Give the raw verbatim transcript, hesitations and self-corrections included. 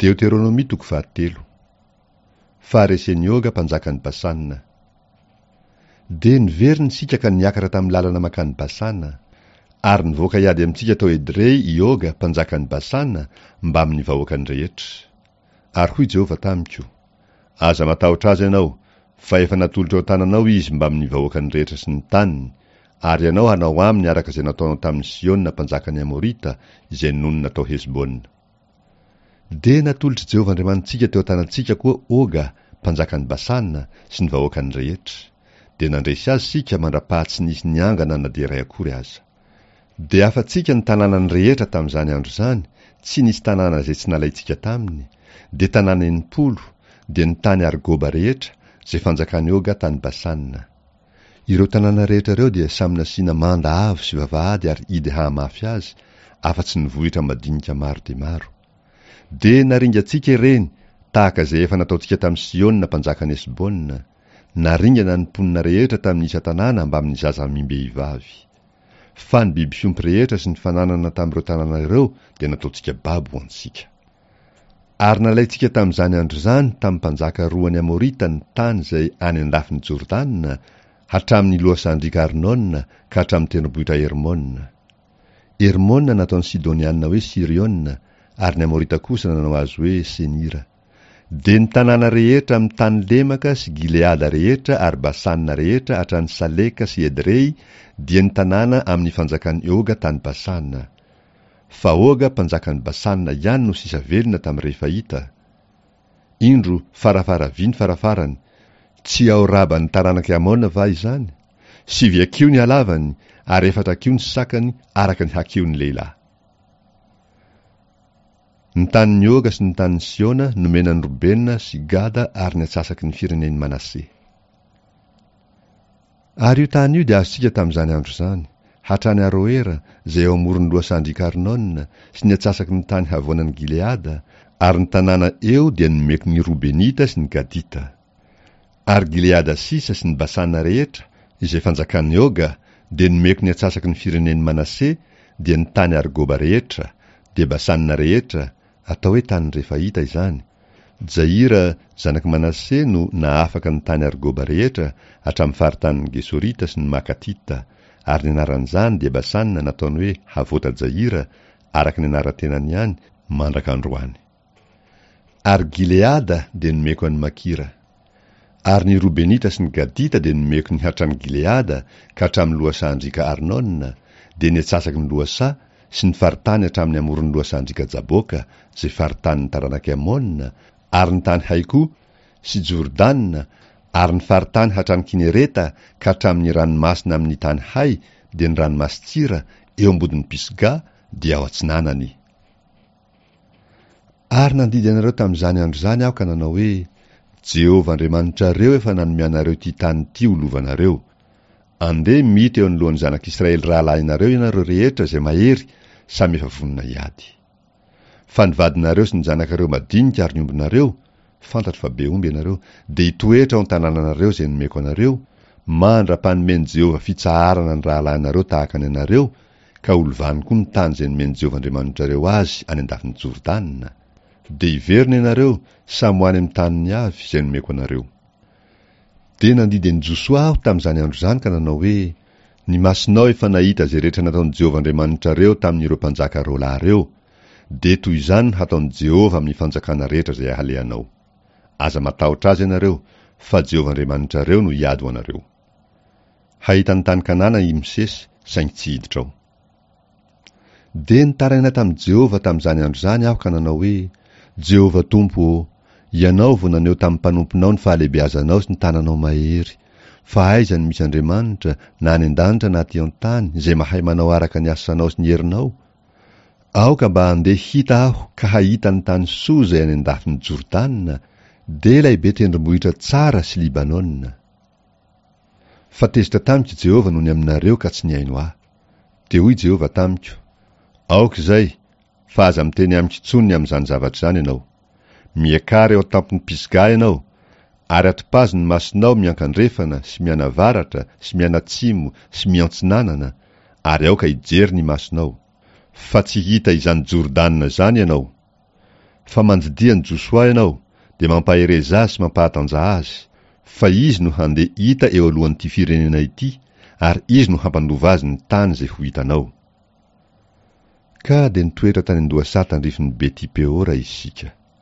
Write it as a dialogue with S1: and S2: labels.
S1: Deoteronomia toko fahatelo. Faharesen'i Oga mpanjakan'i Basana. Dia niverina isika ka niakatra tamin'ny lalana mankany Basana. Ary nivoaka hiady amintsika tao Edrey i Oga mpanjakan'i Basana mbamin'ny vahoakany rehetra. Ary hoy Jehovah tamiko, Aza matahotra azy ianao, fa efa natolotra eo an-tananao izy mbamin'ny vahoakany rehetra sy ny taniny, ary ianao hanao aminy araka izay nataonao tamin'i Siona mpanjakan'ny Amorita, izay nonina tao Hesbona. Dia natolotr'i Jehovah Andriamanitsika teo an-tanantsika koa Oga, mpanjakan'i Basana, sy ny vahoakany rehetra. Dia nandresy azy isika mandra-paha tsy nisy niangana na dia iray akory aza. Dia afa-tsika ny tanànany rehetra tamin'izany andro izany, tsy nisy tanàna izay tsy nalaintsika taminy, dia tanàna enimpolo, dia ny tany Argoba rehetra, izay fanjakan'i Oga tany Basana. Ireo tanàna rehetra ireo dia samy nasiana manda avo sy vavahady ary hidy hahamafy azy, afa-tsy ny vohitra madinika maro dia maro. Dia naringantsika ireny, tahaka izay efa nataontsika tamin'i Siona mpanjakan'i Hesbona. Naringana ny mponina rehetra tamin'ny isan-tanàna mbamin'ny zaza amim-behivavy. Fa ny biby fiompy rehetra sy ny fananana tamin'ireo tanàna ireo dia nataontsika babo ho antsika. Ary nalaintsika tamin'izany andro izany tamin'ny mpanjaka roan'ny Amorita ny tany izay any an-dafin'i Jordana, hatramin'ny lohasahan-driaka Arnona ka hatramin'ny tendrombohitra Hermona. Hermona nataon'ny Sidoniana hoe Siriona, ary ny Amorita kosa nanao azy hoe Senira. Dia ny tanàna rehetra amin'ny tany lemaka sy Gileada rehetra ary Basana rehetra hatrany Saleka sy Edrey, dia ny tanàna amin'ny fanjakan'i Oga tany Basana. Fa Oga mpanjakan'i Basana ihany no sisa velona tamin'ny Refaita. Indro, farafara vy ny farafarany, tsy ao Raban'ny taranak'i Amona va izany? Sivy hakiho ny halavany, ary efatra hakiho ny sakany, araka ny hakihon'ny lehilahy. Ny tanin'i Oga sy ny tanin'i Siona nomena an'i Robena sy Gada ary ny antsasaky ny firenen'i Manase. Ary io tany io dia azontsika tamin'izany andro izany, hatrany Aroera, izay eo amoron'ny lohasahan-driaka Arnona, sy ny antsasaky ny tany havoanan'i Gileada, ary ny tanàna eo dia nomeko ny Robenita sy ny Gadita. Ary Gileada sisa sy ny Basana rehetra, izay fanjakan'i Oga, dia nomeko ny antsasaky ny firenen'i Manase, dia ny tany Argoba rehetra, dia Basana rehetra, atao hoe tany Refaita izany. Jaira, zanak'i Manase, no nahafaka ny tany Argoba rehetra hatramin'ny faritanin'ny Gesorita sy ny Makatita, ary ny anaran'izany dia Basana nataony hoe Havota Jaira, araka ny anaran-tenany ihany, mandraka androany. Ary Gileada dia nomeko an'i Makira. Ary ny Robenita sy ny Gadita dia nomeko ny hatrany Gileada ka hatramin'ny lohasahan-driaka Arnona, dia ny antsasaky ny lohasaha sy ny faritany hatramin'ny amoron'ny lohasahan-driaka Jaboka, izay faritanin'ny taranak'i Amona, ary ny tany Haiko sy Jordana, ary ny faritany hatrany Kinereta ka hatramin'ny ranomasina amin'ny tany Hay, dia ny ranomasin-tsira, eo ambodin'ny Pisga, dia ao atsinanany. Ary nandidy anareo tamin'izany andro izany aho ka nanao hoe, Jehovah Andriamanitrareo efa nanome anareo ity tany ity ho lovanareo. Andeha mita eo anoloan'ny zanak'Israely rahalahinareo ianareo rehetra izay mahery, samy efa vonona hiady. Fa ny vadinareo sy ny zanakareo madinika ary ny ombinareo, fantatro fa be omby ianareo, dia hitoetra ao an-tanànanareo izay nomeko anareo, mandra-panomen'i Jehovah fitsaharana ny rahalahinareo tahaka ny anareo, ka ho lovany koa ny tany izay nomen'i Jehovah Andriamanitrareo azy any an-dafin'i Jordana. Dia hiverina ianareo, samy ho any amin'ny taniny avy izay nomeko anareo. Dia nandidy an'i Josoa aho tamin'izany andro izany ka nanao hoe, Ny masonao efa nahita izay rehetra nataon'i Jehovah Andriamanitrareo tamin'ireo mpanjaka roa lahy ireo, dia toy izany no hataon'i Jehovah amin'ny fanjakana rehetra izay halehanao. Aza matahotra azy ianareo, fa Jehovah Andriamanitrareo no hiady ho anareo. Hahita ny tany Kanana i Mosesy, saingy tsy hiditra ao. Dia nitaraina tamin'i Jehovah tamin'izany andro izany aho ka nanao hoe, Jehovah Tompo ô, Ianao vao naneho tamin'ny mpanomponao ny fahalehibeazanao sy ny tananao mahery. Fa aiza no misy Andriamanitra, na any an-danitra na aty an-tany, izay mahay manao araka ny asanao sy ny herinao? Aoka mba handeha hita aho ka hahita ny tany soa izay any an-dafin'i Jordana, dia ilay be tendrombohitra tsara sy Libanona. Fa tezitra tamiko Jehovah noho ny aminareo ka tsy nihaino ahy. Dia hoy Jehovah tamiko, Aoka izay, fa aza miteny amiko intsony ny amin'izany zavatra izany ianao. Miakara eo an-tampon'ny Pisga ianao, ary atopazo ny masonao miankandrefana sy mianavaratra sy mianatsimo sy miantsinanana, ary aoka hijery ny masonao, fa tsy hita izany Jordana izany ianao. Fa mandidia an'i Josoa ianao, dia mampahereza azy sy mampahatanjaha azy, fa izy no handeha hita eo alohan'ity firenena ity, ary izy no hampandova azy ny tany izay ho hitanao. Ka dia nitoetra tany an-dohasaha tandrifin'i Beti-Peora isika.